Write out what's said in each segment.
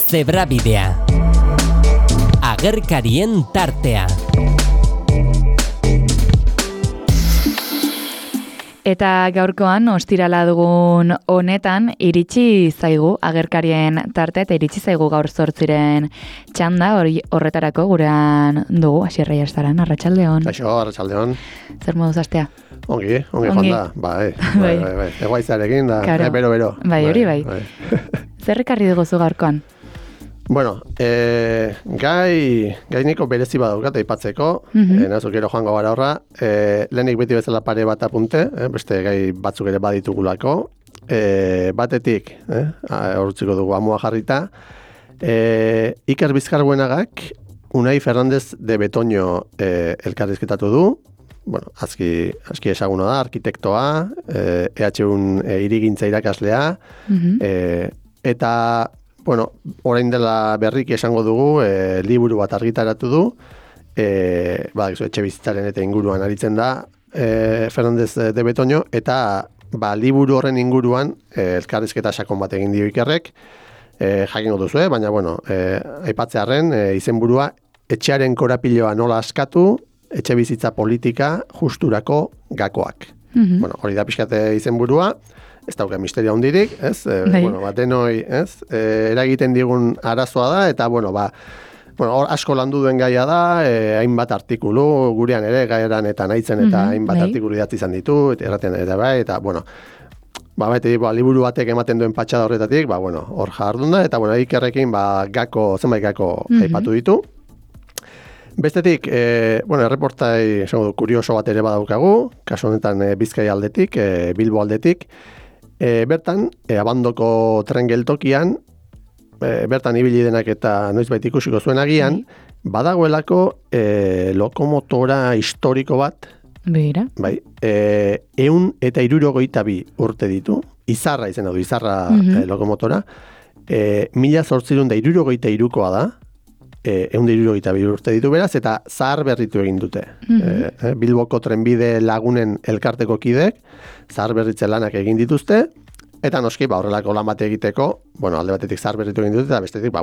Zebrabidea. Agerkarien tartea. Eta gaurkoan, ostirala dugun honetan, iritsi zaigu agerkarien tartea, eta iritsi zaigu gaur 8 txanda, horretarako gurean dugu, Asier Reyestaran, arratsaldeon. Kaixo, arratsaldeon. Zer moduz astea? Ongi jonda, bai. Egoitzarekin da, bero. Bai, hori bai. Zer ekarri dugu gaurkoan? Bueno, gai niko berezi badaukat aipatzeko, nazu gero joango gara horra, lehenik beti bezala pare bat apunte, beste gai batzuk ere baditugulako, batetik, horretziko dugu amua jarrita, Iker Bizkarbuenagak Unai Fernandez de Betoño elkarrizketatu du, bueno, aski esaguna da, arkitektoa, EHUn hirigintza irakaslea, eta bueno, orain dela berriki esango dugu, liburu bat argitaratu du, etxe bizitzaren eta inguruan aritzen da, Fernandez de Betoño, eta liburu horren inguruan elkarrizketa sakon bat egin dio Ikerrek, jakingo duzu, baina bueno, aipatzearren izenburua etxearen korapiloa nola askatu, etxe bizitza politika justurako gakoak. Bueno, hori da pixkate izenburua, ez dauka misterio handirik, ez? Denoi, ez? Eragiten digun arazoa da, eta, asko landu duen gaia da, hainbat artikulu, gurean ere, gaieran eta nahitzen, eta hainbat artikulu idatzi izan ditu, erraten eta bai, eta, liburu batek ematen duen patxada horretatik, hor jardun da, eta, Ikerrekin, zenbait gako aipatu ditu. Bestetik, erreportai, kurioso bat ere badaukagu, kasu honetan Bizkaia aldetik, Bilbo aldetik, bertan, abandoko tren geltokian, bertan ibili denak eta noizbait ikusiko zuen agian, badagoelako lokomotora historiko bat, Beira. Bai, 162 urte ditu, Izarra izena du, Izarra lokomotora, 1863koa da, 162 urte ditu beraz, eta zahar berritu egin dute. Bilboko trenbide lagunen elkarteko kidek, zahar berritze lanak egin dituzte, eta noski, horrelako lan bate egiteko, alde batetik zahar berritu egin dute, eta bestetik,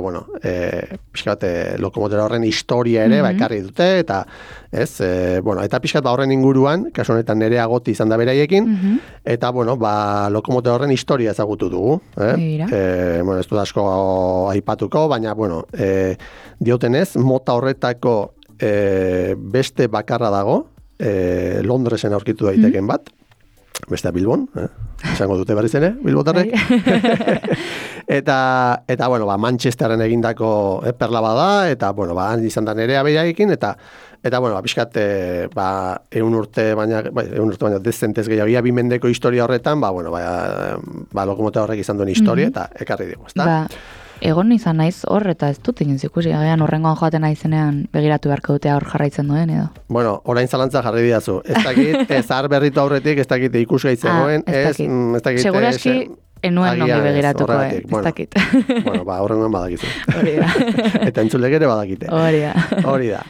pixka bat lokomotora horren historia ere, ekarri dute, eta eta pixka bat horren inguruan, kasu honetan Nerea Goti izan da beraiekin, eta, lokomotora horren historia ezagutu dugu. Ez dut asko aipatuko, baina, diotenez, mota horretako beste bakarra dago, Londresen aurkitu daiteken bat, bestea Bilbon, esango dute berriz ere, Bilbotarrek. Eta Manchesterren egindako perla bada, eta, han izan da Nerea beraiekin, eta pixkat, 100 urte baina dezentez gehiago, 2 mendeko historia horretan, lokomotora horrek izan duen historia, eta ekarri dugu, ezta? Egon izan naiz hor, eta ez dut egin zikusi, horrengoan joaten naizenean begiratu beharko dute hor jarraitzen duen, edo? Orain zalantza jarri didazu. Ez dakit, zahar berritu aurretik, ez dakit ikusi gaitzen ez dakit. Seguraski, enuen nongi begiratuko, ez dakit. Horrengoan badakizu. Hori da. Eta entzulek ere badakite. Hori da.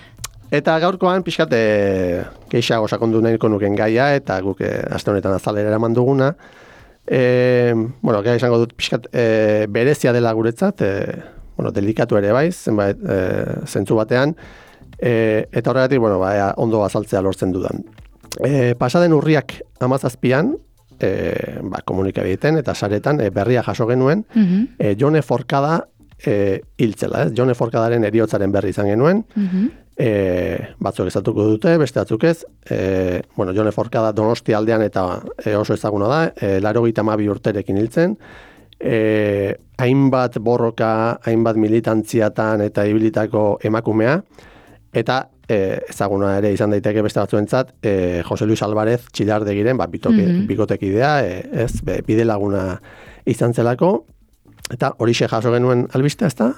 Eta gaurkoan, pixkat, keixago sakondu nahiko nuken gaia, eta guk aste honetan azalera eraman duguna, gai esango dut pixkat berezia dela guretzat, delikatu ere bai, zenbait zentzu batean, eta horregatik, ondo azaltzea lortzen dudan. Pasaden urriak 17an, komunikabideetan eta saretan berria jaso genuen, Jone Forkada hiltzela, Jone Forkadaren heriotzaren berri izan genuen, batzuk ezatuko dute, beste batzuk ez. Jone Forkada Donostia aldean eta oso ezaguna da, 82 urterekin hiltzen. Hainbat borroka, hainbat militantziatan eta ibilitako emakumea, eta ezaguna ere izan daiteke beste batzuentzat, Jose Luis Alvarez Txillardegiren, bikotekidea, bide laguna izan zelako, eta horixe jaso genuen albistea, ezta?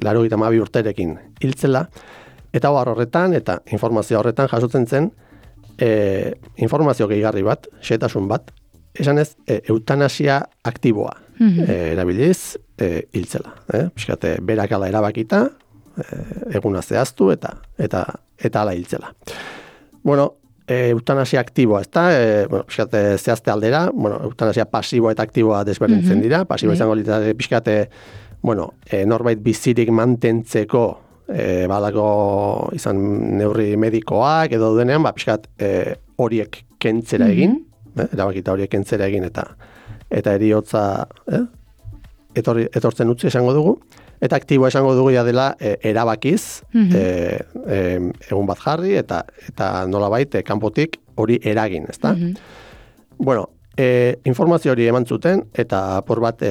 82 urterekin hiltzela. Eta horretan, eta informazio horretan jasotzen zen, informazio gehigarri bat, xehetasun bat, esan ez, eutanasia aktiboa erabiliz hiltzela. Piskate, berakala erabakita, eguna zehaztu eta ala hiltzela. Eutanasia aktiboa, ez da, zehazte aldera, eutanasia pasiboa eta aktiboa desberdintzen dira, pasiboa izango litzateke pixkate, norbait bizirik mantentzeko balako izan neurri medikoak edo denean, pixkat horiek kentzera egin, erabakita horiek kentzera egin eta eriotza etortzen utzi esango dugu, eta aktiboa esango dugu ja dela erabakiz, egun bat jarri eta nolabait kanpotik hori eragin, ezta? Informazio hori eman zuten, eta por bat,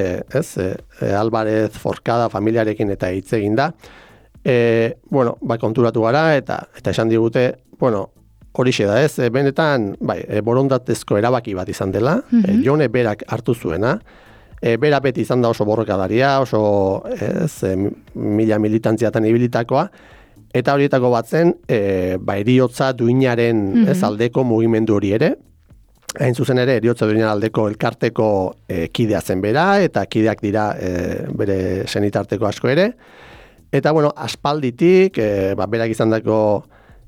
Alvarez Forcada familiarekin eta hitz egin da, konturatu gara, eta esan digute, horixe da, benetan, borondatezko erabaki bat izan dela, Jone berak hartu zuena, bera beti izan da oso borrokadaria, oso mila militantziatan ibilitakoa, eta horietako bat zen, eriotza duinaren aldeko mugimendu hori ere, hain zuzen ere, eriotza duinaren aldeko elkarteko kidea zen bera, eta kideak dira bere senitarteko asko ere, eta aspalditik, berak izan dako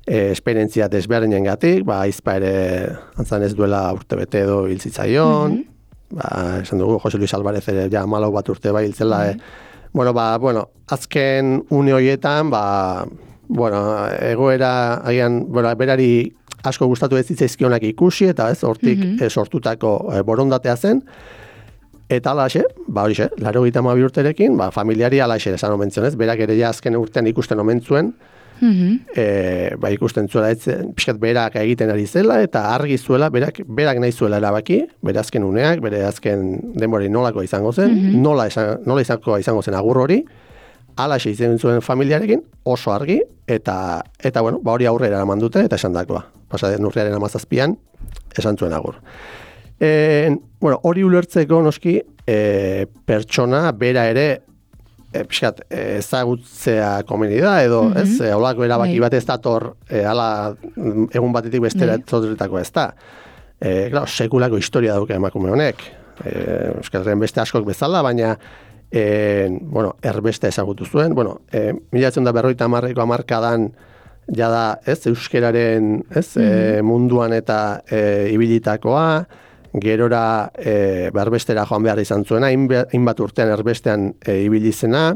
esperientzia desberdinen gatik, aizpa ere antzan ez duela urtebete edo hiltzitzaion, esan dugu, Jose Luis Alvarez ere ja 14 bat urte bai hiltzela, azken une horietan, egoera, agian, berari asko gustatu ez zitzaizkionak ikusi, eta hortik sortutako borondatea zen, eta alaxe, horixe, 82 urterekin, familiari alaxe esan omentzionez, berak ere ja azken urtean ikusten omentzuen, ikusten zuela pixkat berak egiten ari zela eta argi zuela, berak nahi zuela erabaki, bere azken uneak, bere azken denbori nolako izango zen, nola izango zen agur hori, alaxe izan zuen familiarekin, oso argi, eta hori aurrera eraman dute, eta esan dakoa. Pasaden urriaren 17an, esan zuen agur. Hori ulertzeko noski, pertsona bera ere, pixkat, ezagutzea komeni da, edo, holako erabaki bat ez dator, egun batetik bestera zotretakoa ez da. Sekulako historia dauka emakume honek. Euskarren beste askok bezala, baina, erbeste ezagutu zuen. 1950ko hamarkadan, jada, euskararen, munduan eta ibilitakoa, gerora erbestera joan behar izan zuena, hainbat urtean erbestean ibili zena,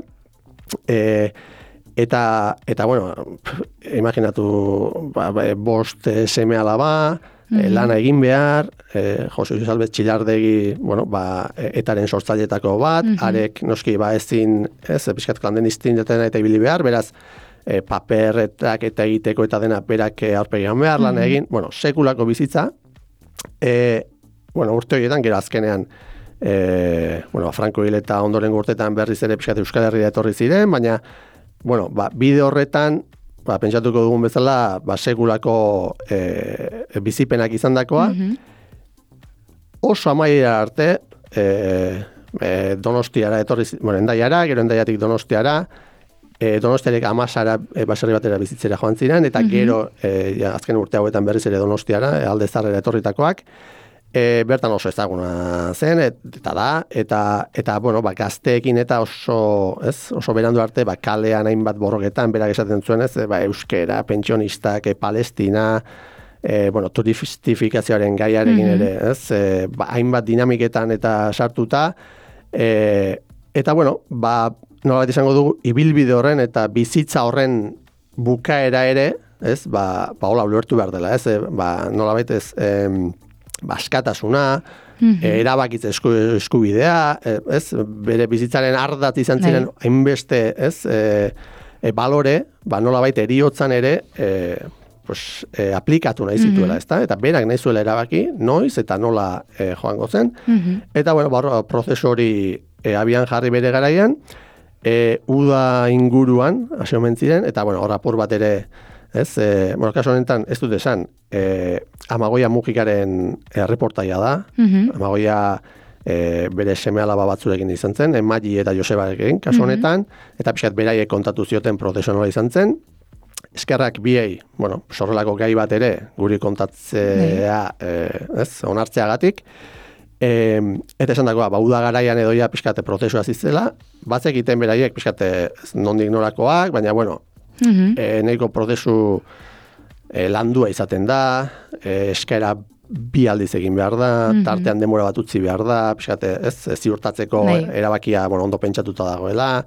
eta imaginatu, bost seme alaba, lana egin behar, Jose Luis Alvarez Txilardegi, etaren sortzailetako bat, arek noski ezin, pixkat klandenistin dutena eta ibili behar, beraz, paperretak eta egiteko eta dena berak aurpegian behar, lan egin, sekulako bizitza, urte horietan, gero azkenean, Franco hil eta ondorengo urtetan berriz ere pixkat Euskal Herria etorri ziren, baina, bide horretan, pentsatuko dugun bezala, sekulako bizipenak izandakoa, oso amaiera arte, Donostiara etorri, Endaiara, gero Endaiatik Donostiara, Donostiarek Amasara baserri batera bizitzera joan ziren, eta gero, azken urte hauetan berriz ere Donostiara, Alde Zarrera etorritakoak, bertan oso ezaguna zen, eta gazteekin eta oso berandu arte, kalean hainbat borroketan, berak esaten zuen ez, euskera, pentsionistak, Palestina, turistifikazioaren gaiarekin ere, ez, hainbat dinamiketan eta sartuta, eta nolabait izango dugu, ibilbide horren eta bizitza horren bukaera ere, ez, hola ulertu behar dela, ez, nolabait ez, askatasuna, erabakitze eskubidea, ez, bere bizitzaren ardatz izan ziren hainbeste, ez, balore, nolabait eriotzan ere, aplikatu nahi zituela, ezta? Eta berak nahi zuela erabaki, noiz eta nola joango zen, eta prozesu hori abian jarri bere garaian, uda inguruan, hasi omen ziren, eta hor apur bat ere, ez, kasu honetan ez dut esan, Amagoia Mujikaren reportaia da, Amagoia bere seme alaba batzurekin izan zen, Magi eta Josebarekin kasu honetan, eta pixkat beraiek kontatu zioten profesionala izan zen, eskerrak biei, sorrelako gai bat ere, guri kontatzea, onartzeagatik, eta esan dagoa, uda garaian edoia pixkate prozesua zizela, batzekiten beraiek pixkate nondik norakoak, baina, nahiko prozesu landua izaten da, eskaera bi aldiz egin behar da, tartean denbora bat utzi behar da, pixkate, ez ziurtatzeko erabakia, ondo pentsatuta dagoela,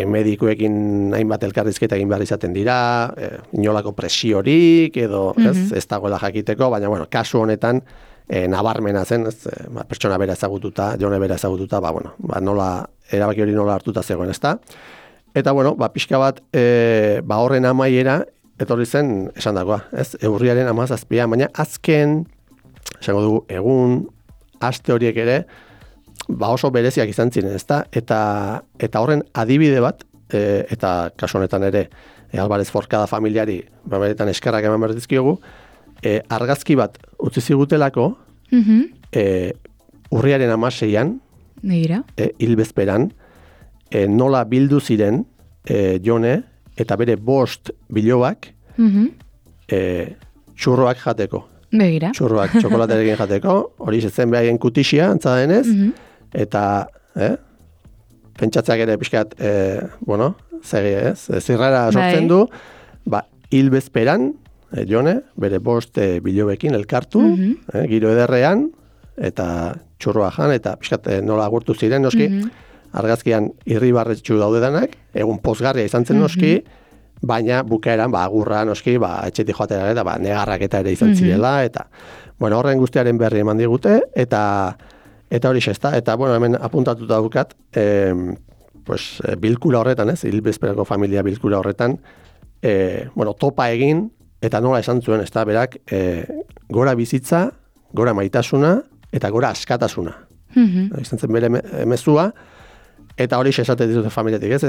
medikuekin hainbat elkarrizketa egin behar izaten dira, inolako presiorik, edo ez dagoela jakiteko, baina, kasu honetan, nabarmena zen, pertsona bera ezagututa, jone bera ezagututa, nola, erabaki hori nola hartuta zegoen, ezta? Eta, pixka bat, horren amaiera, etorri zen, esan dagoa, ez? Urriaren 17, baina azken, esango dugu, egun, aste horiek ere, oso bereziak izan ziren, ezta? Eta horren adibide bat, eta kasu honetan ere, Alvarez Forcada familiari, beretan eskerrak eman behar dizkiogu, argazki bat utzi zigutelako, urriaren 16an, hilbezperan, nola bildu ziren Jone eta bere 5 bilobak txurroak jateko. Begira. Txurroak txokolaterekin jateko, hori zen behaien kutixia, antza denez, eta pentsatzeak ere pixkat, zirrara sortzen du, hilbezperan, Jone, bere 5 bilobekin elkartu, giro ederrean, eta txurroa jan, eta pixkat nola agurtu ziren, noski, argazkian irribarretxu daudedanak, egun pozgarria izan zen noski, baina bukaeran, agurra noski, etxetik joatera eta negarraketa ere izan zirela, eta, horren guztiaren berri eman digute, eta hori xesta, eta, hemen apuntatuta dukat, bilkura horretan, hilbezperako familia bilkura horretan, topa egin, eta nola esan zuen, ez da, berak, gora bizitza, gora maitasuna, eta gora askatasuna. Izan zen bere mezua, eta hori esaten dituzte familiatik, ez?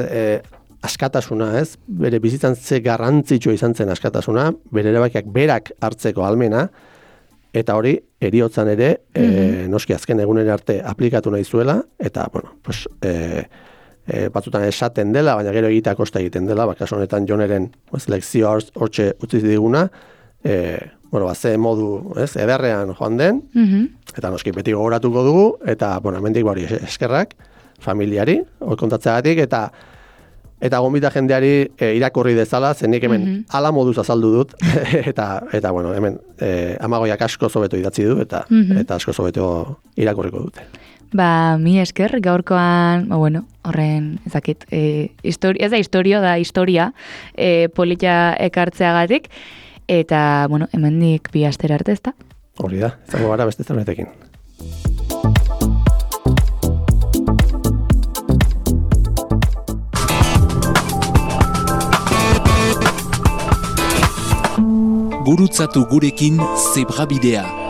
Askatasuna, ez? Bere bizitzan ze garrantzitsua izan zen askatasuna, bere erabakiak berak hartzeko almena, eta hori heriotzan ere, noski azken egunera arte aplikatu nahi zuela, eta, batzutan esaten dela, baina gero egitea kosta egiten dela, kasu honetan Joneren lekzio hortxe utzi diguna, ze modu ederrean joan den, eta noski beti gogoratuko dugu, eta, hemendik hori eskerrak, familiari, hori kontatzeagatik, eta gonbita jendeari irakurri dezala, zenik hemen ala moduz azaldu dut, eta hemen amagoiak asko zobeto idatzi du, eta asko zobeto irakurriko dute. Mi esker, gaurkoan, horren, ezakit, ez da historio, da historia polita ekartzeagatik, eta, hemendik 2 astera arte, ezta? Hori da, zango gara beste zerbetekin. Gurutzatu gurekin Zebrabidea.